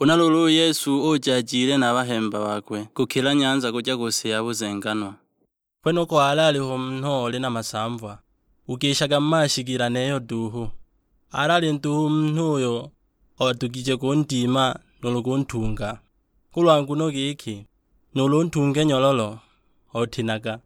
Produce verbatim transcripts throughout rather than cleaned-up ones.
Huna luulu u Yesu uja ajile na bahemba bakwe kukila nyanza kuja ku si ya buzenganwa. Kwenoko alaliho munhu oli na masamva, ugishaga mu mashigila neyo duhu. Alali nduhu munhu uyo odugije kundima nulu kuntunga, kulwa nguno giki, nulu untunge nyololo, otinaga.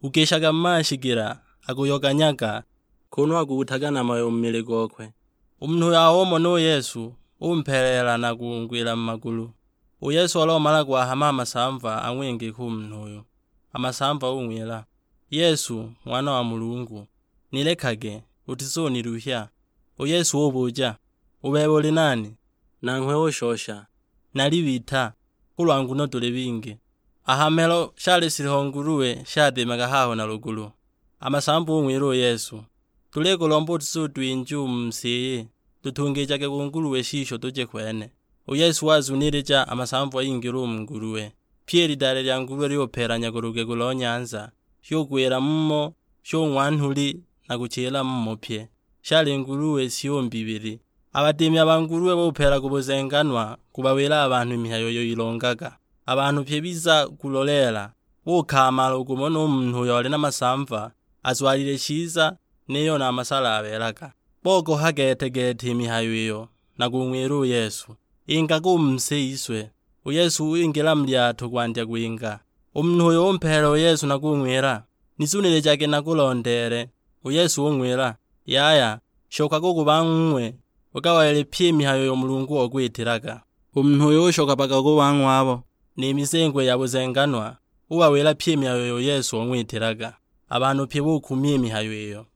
Ugishaga mu mashigila, akuyoganyaga, kunu akuutaga na mayo mu mili gokwe. U munhu uyo aumona u Yesu, umpeleela na kungwila mu magulu. U Yesu olomala gwahama a masamva ang'wingika u munhu uyo. A masamva ung'wila, "Yesu, Ng'wana wa Mulungu, nilekage, utizuniluhya." U Yesu ubuja, "U bebe uli nani?" Nanghwe ushosha, "Nali Bita, kulwa nguno tuli bingi." A ha mhelo shali shiliho nguluwe shadimaga haho na lugulu. A masamva ung'wila u Yesu, "Tulikulomba utizutwinja u mu si iyi, tutungijage ku nguluwe shisho tuje kwene." U Yesu wazunilija a masamva ingila u mu nguluwe. Pyi i lidale lya nguluwe lyupeelanya ku lugegu lo nyanza, shugwila mumo, shung'wa nhuli na kuchila mumo pye. Shali nguluwe syumbi ibili. A badimi a ba nguluwe bupeela ku buzenganwa kubawila a banhu i mihayo iyo ilongaga. A banhu pye biza kuloleela, bukaamala u kumona u munhu uyo oli na masamva azwalile chiza, niyo na a masala abeelaga. Bogoha gete-gete i mihayo iyo, na kung'wila u Yesu, "Ingaga u mu si yiswe." U Yesu wingila mu lyato kwandya kwinga. U munhu uyo umpeela u Yesu na kung'wila, "Nizunilijage nakulondeele." U Yesu ung'wila, "Yaya, shokaga u ku bang'wing'we, ugawalile pyi i mihayo iyo Mulungu okwitilaga." U munhu uyo ushoka mpaka ku bang'wabo, ni mizengo ya buzenganwa, ubawila pyi i mihayo iyo Yesu ong'witilaga. A banhu pye bukumya i mihayo iyo.